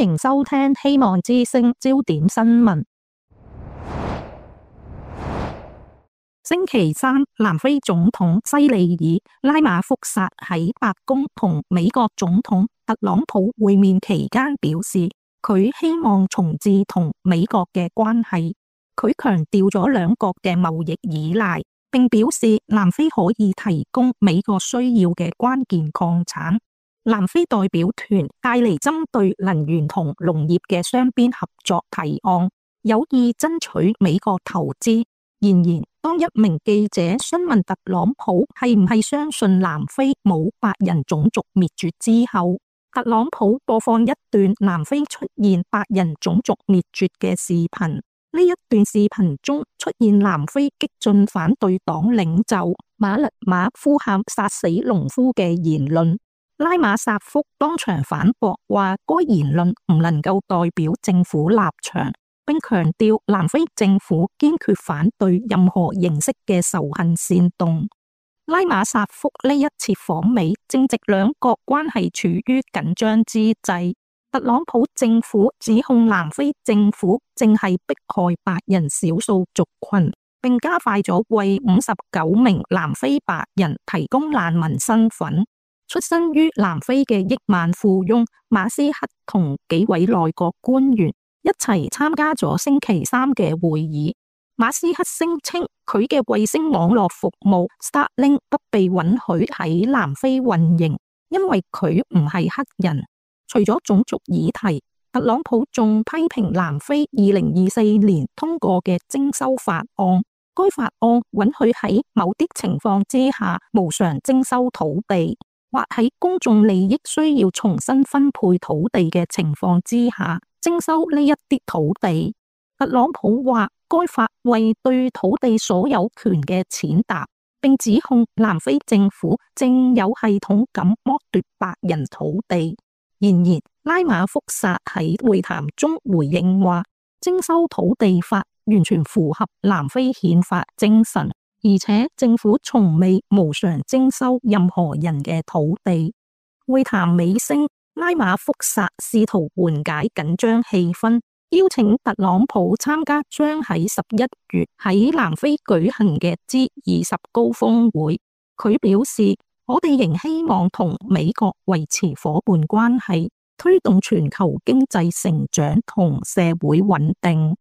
迎收聽希望之聲焦點新聞。星期三，南非總統西里爾拉馬福薩喺白宮同美國總統特朗普會面期間表示，佢希望重置同美國嘅關係。佢強調咗兩國嘅貿易依賴，並表示南非可以提供美國需要嘅關鍵礦產。南非代表團帶嚟針對能源同農業嘅雙邊合作提案，有意爭取美國投資。然而，當一名記者詢問特朗普係唔係相信南非冇白人種族滅絕之後，特朗普播放一段南非出現白人種族滅絕嘅視頻。呢一段視頻中出現南非激進反對黨領袖馬勒馬呼喊殺死農夫嘅言論。拉馬薩福當場反駁話，該言論唔能夠代表政府立場，並強調南非政府堅決反對任何形式嘅仇恨煽動。拉馬薩福呢一次訪美正值兩國關係處於緊張之際，特朗普政府指控南非政府正係迫害白人少數族群，並加快咗為59名南非白人提供難民身份。出身於南非嘅億萬富翁馬斯克同幾位內閣官員一齊參加咗星期三嘅會議。馬斯克聲稱佢嘅衛星網絡服務 Starlink 不被允許喺南非運營，因為佢唔係黑人。除咗種族議題，特朗普仲批評南非2024年通過嘅徵收法案，該法案允許喺某啲情況之下無償徵收土地，或喺公眾利益需要重新分配土地嘅情況之下徵收呢一啲土地。特朗普話該法為對土地所有權嘅踐踏，並指控南非政府正有系統咁剝奪白人土地。然而，拉馬福薩喺會談中回應話，徵收土地法完全符合南非憲法精神。而且政府從未無償徵收任何人嘅土地。會談尾聲，拉馬福薩試圖緩解緊張氣氛，邀請特朗普參加將喺11月喺南非舉行嘅 G20 高峰會。佢表示，我哋仍希望同美國維持夥伴關係，推動全球經濟成長同社會穩定。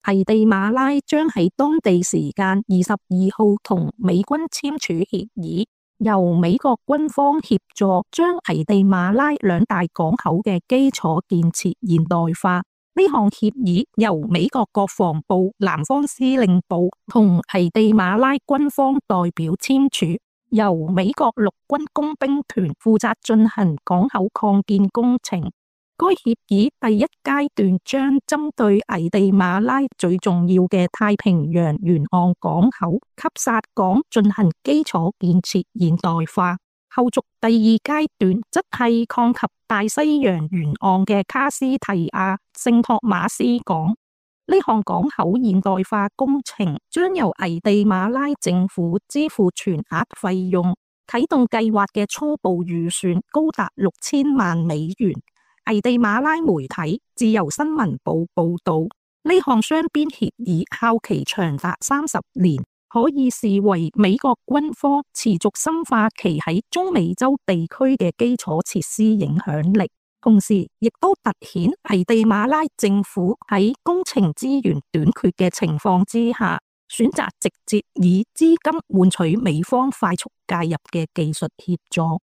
危地馬拉將喺當地時間22號同美軍簽署協議，由美國軍方協助將危地馬拉兩大港口嘅基礎建設現代化。呢項協議由美國國防部、南方司令部同危地馬拉軍方代表簽署，由美國陸軍工兵團負責進行港口擴建工程。該協議第一階段將針對危地馬拉最重要嘅太平洋沿岸港口汲薩港進行基礎建設現代化，後續第二階段則係擴及大西洋沿岸嘅卡斯提亞聖托馬斯港。呢項港口現代化工程將由危地馬拉政府支付全額費用，啟動計劃嘅初步預算高達6000萬美元。危地馬拉媒體自由新聞報報道，呢項雙邊協議效期長達30年，可以視為美國軍方持續深化其喺中美洲地區嘅基礎設施影響力，同時亦都凸顯危地馬拉政府喺工程資源短缺嘅情況之下，選擇直接以資金換取美方快速介入嘅技術協助。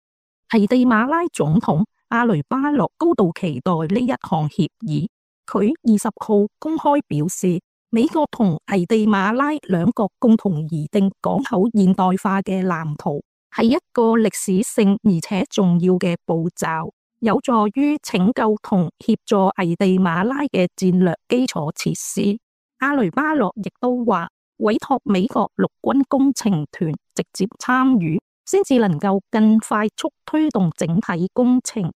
危地馬拉總統阿雷巴諾高度期待呢一項協議，佢20號公開表示，美國同危地馬拉兩國共同擬定港口現代化嘅藍圖，係一個歷史性而且重要嘅步驟，有助於拯救同協助危地馬拉嘅戰略基礎設施。阿雷巴諾亦都話，委託美國陸軍工程團直接參與，先至能夠更快速推動整體工程。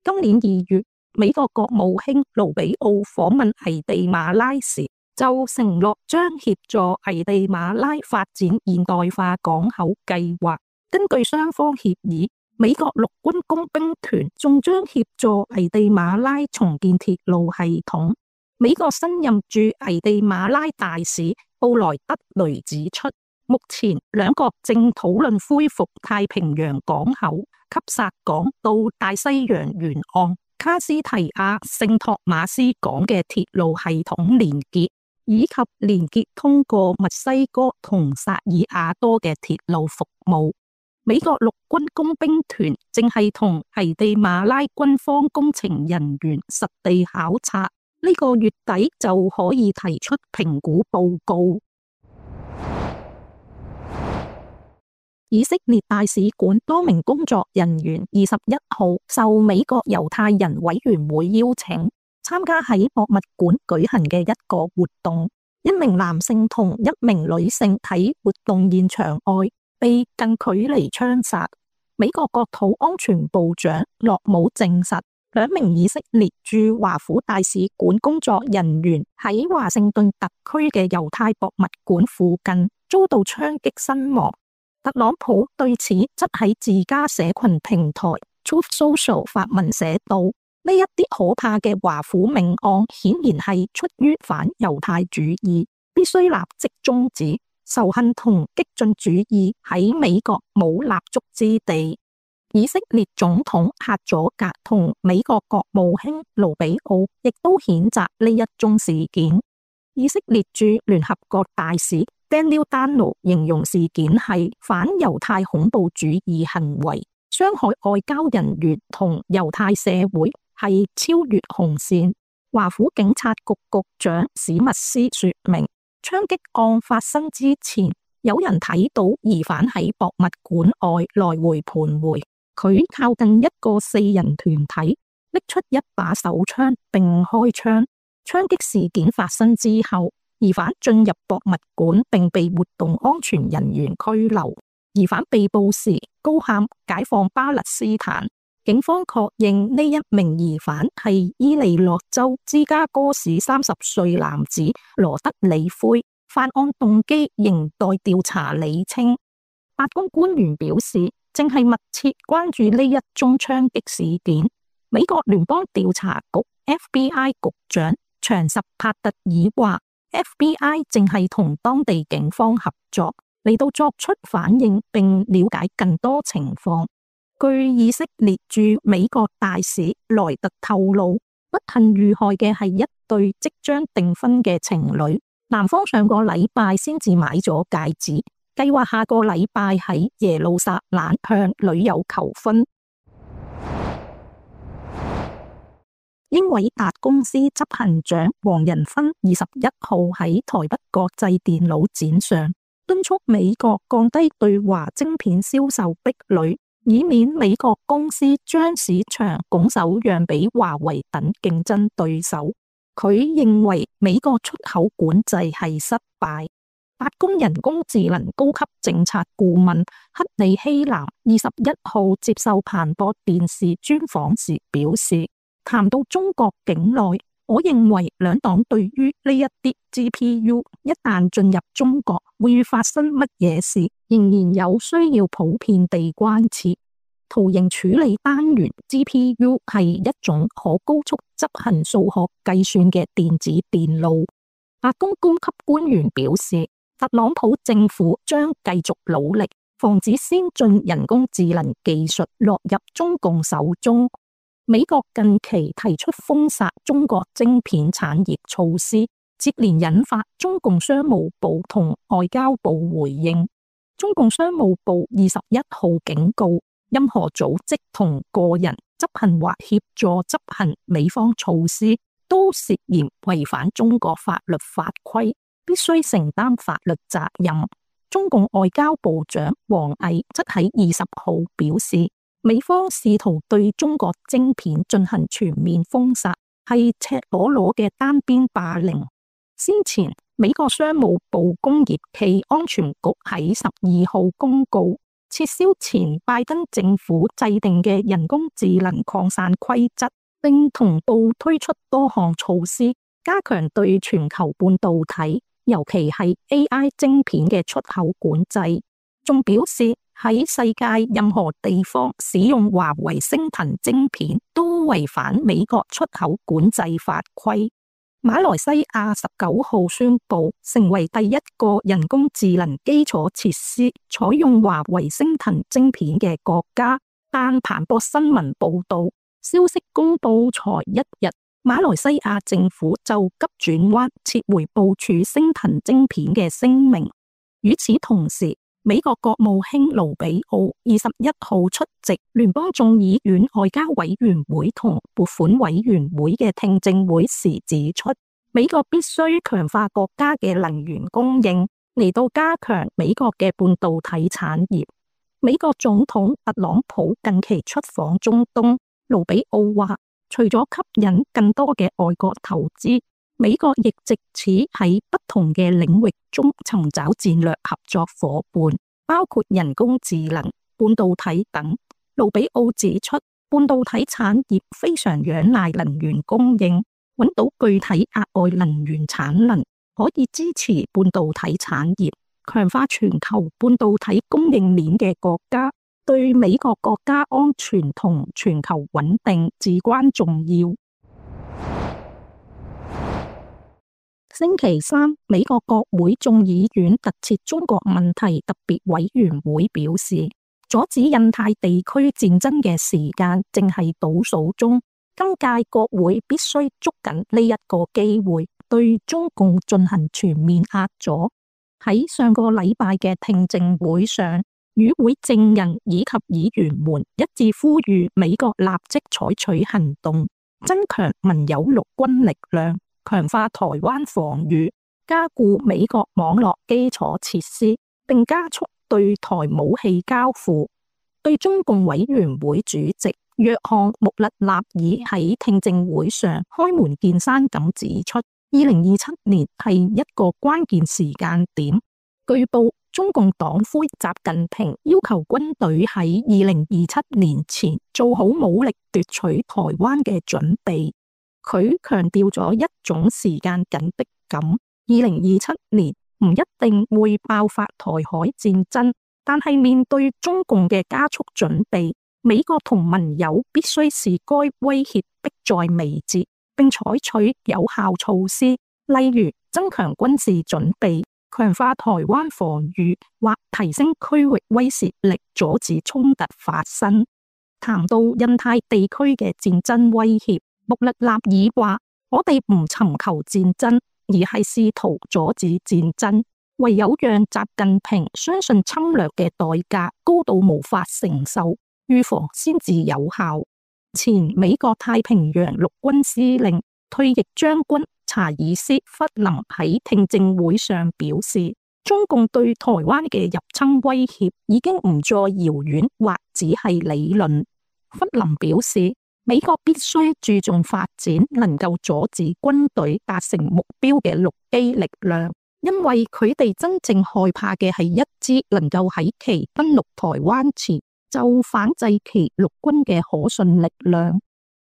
今年2月，美國國務卿盧比奧訪問危地馬拉時，就承諾將協助危地馬拉發展現代化港口計劃。根據雙方協議，美國陸軍工兵團仲將協助危地馬拉重建鐵路系統。美國新任駐危地馬拉大使布萊德雷指出，目前兩國正討論恢復太平洋港口及薩港到大西洋沿岸卡斯提亞聖托馬斯港嘅鐵路系統連結，以及連結通過墨西哥同薩爾瓦多嘅鐵路服務。美國陸軍工兵團正係同危地馬拉軍方工程人員實地考察，呢個月底就可以提出評估報告。以色列大使館多名工作人員21號受美國猶太人委員會邀請，參加喺博物館舉行嘅一個活動。一名男性同一名女性喺活動現場外被近距離槍殺。美國國土安全部長洛姆證實，兩名以色列駐華府大使館工作人員喺華盛頓特區嘅猶太博物館附近遭到槍擊身亡。特朗普對此則喺自家社群平台 Truth Social 發文寫道：呢一啲可怕嘅華府命案顯然係出於反猶太主義，必須立即終止。仇恨同激進主義喺美國冇立足之地。以色列總統赫佐格同美國國務卿盧比奧亦都譴責呢一宗事件。以色列駐聯合國大使 Daniel Danon 形容事件係反猶太恐怖主義行為，傷害外交人員同猶太社會，係超越紅線。華府警察局局長史密斯說明，槍擊案發生之前，有人睇到疑犯喺博物館外來回徘徊，佢靠近一個4人團體，拎出一把手槍並開槍。槍擊事件發生之後，疑犯進入博物館並被活動安全人員拘留。疑犯被捕時高喊解放巴勒斯坦。警方確認呢一名疑犯係伊利諾州芝加哥市30歲男子羅德里奎，犯案動機仍待調查理清。白宮官員表示，正係密切關注呢一宗槍擊事件。美國聯邦調查局 FBI 局長長什帕特爾話，FBI 正係同當地警方合作嚟到作出反應並了解更多情況。據以色列駐美國大使萊特透露，不幸遇害嘅係一對即將訂婚嘅情侶，男方上個禮拜先至買咗戒指，計劃下個禮拜喺耶路撒冷向女友求婚。英偉達公司執行長黃仁勳21號喺台北國際電腦展上敦促美國降低對華晶片銷售壁壘，以免美國公司將市場拱手讓俾華為等競爭對手。佢認為美國出口管制係失敗。白宮人工智能高級政策顧問克里希南21號接受彭博電視專訪時表示，談到中國境內，我認為兩黨對於呢一啲 GPU 一旦進入中國會發生乜嘢事，仍然有需要普遍地關切。圖形處理單元 GPU 係一種可高速執行數學計算嘅電子電路。白宮高級官員表示，特朗普政府將繼續努力，防止先進人工智能技術落入中共手中。美國近期提出封殺中國晶片產業措施，接連引發中共商務部同外交部回應。中共商務部21號警告，任何組織同個人執行或協助執行美方措施，都涉嫌違反中國法律法規，必須承擔法律責任。中共外交部長王毅則喺20號表示，美方試圖對中國晶片進行全面封殺，係赤裸裸嘅單邊霸凌。先前，美國商務部工業暨安全局喺12號公告，撤銷前拜登政府制定嘅人工智能擴散規則，並同步推出多項措施，加強對全球半導體，尤其係 AI 晶片嘅出口管制。仲表示喺世界任何地方使用華為昇騰晶片都違反美國出口管制法規。馬來西亞19號宣布成為第一個人工智能基礎設施採用華為昇騰晶片嘅國家，但彭博新聞報道，消息公布才一日，馬來西亞政府就急轉彎撤回部署昇騰晶片嘅聲明。與此同時，美國國務卿盧比奧21號出席聯邦眾議院外交委員會同撥款委員會嘅聽證會時指出，美國必須強化國家嘅能源供應，嚟到加強美國嘅半導體產業。美國總統特朗普近期出訪中東，盧比奧話，除咗吸引更多嘅外國投資，美國亦藉此喺不同嘅領域中尋找戰略合作夥伴，包括人工智能、半導體等。盧比奧指出，半導體產業非常仰賴能源供應，揾到具體額外能源產能，可以支持半導體產業，強化全球半導體供應鏈嘅國家，對美國國家安全同全球穩定至關重要。星期三，美國國會眾議院特設中國問題特別委員會表示，阻止印太地區戰爭嘅時間正係倒數中，今屆國會必須捉緊呢一個機會，對中共進行全面壓阻。喺上個禮拜嘅聽證會上，與會證人以及議員們一致呼籲美國立即採取行動，增強盟友陸軍力量，強化台灣防禦，加固美國網絡基礎設施，並加速對台武器交付。對中共委員會主席約翰穆勒納爾喺聽證會上開門見山咁指出，2027年係一個關鍵時間點。據報，中共黨魁習近平要求軍隊喺2027年前做好武力奪取台灣嘅準備。佢強調咗一種時間緊迫感，2027年唔一定會爆發台海戰爭，但係面對中共嘅加速準備，美國同盟友必須視該威脅迫在眉睫，並採取有效措施，例如增強軍事準備、強化台灣防禦或提升區域威懾力，阻止衝突發生。談到印太地區嘅戰爭威脅，穆勒納爾話：我哋唔尋求戰爭，而係試圖阻止戰爭。唯有讓習近平相信侵略嘅代價高到無法承受，預防先至有效。前美國太平洋陸軍司令、退役將軍查爾斯·弗林喺聽證會上表示，中共對台灣嘅入侵威脅已經唔再遙遠或只係理論。弗林表示，美國必須注重發展能夠阻止軍隊達成目標嘅陸基力量，因為佢哋真正害怕嘅係一支能夠喺其登陸台灣前就反制其陸軍嘅可信力量。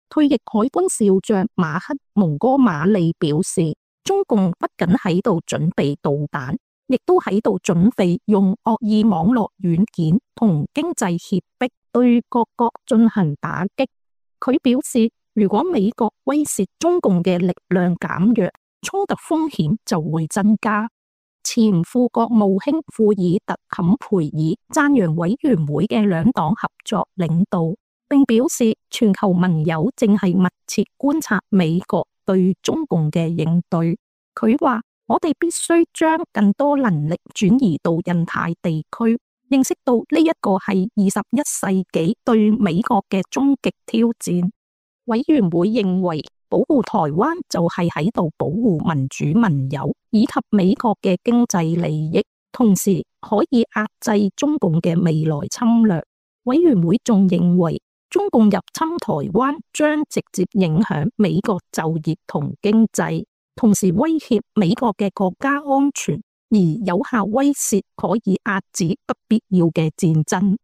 退役海軍少將馬克·蒙哥馬利表示，中共不僅喺度準備導彈，亦都喺度準備用惡意網絡軟件同經濟脅迫對各國進行打擊。佢表示，如果美國威懾中共嘅力量減弱，衝突風險就會增加。前副國務卿庫爾特·坎培爾讚揚委員會嘅兩黨合作領導，並表示全球盟友正係密切觀察美國對中共嘅應對。佢話：我哋必須將更多能力轉移到印太地區，認識到呢一個係21世紀對美國嘅終極挑戰。委員會認為，保護台灣就係喺度保護民主盟友以及美國嘅經濟利益，同時可以壓制中共嘅未來侵略。委員會仲認為，中共入侵台灣將直接影響美國就業同經濟，同時威脅美國嘅國家安全，而有效威懾可以遏止不必要嘅戰爭。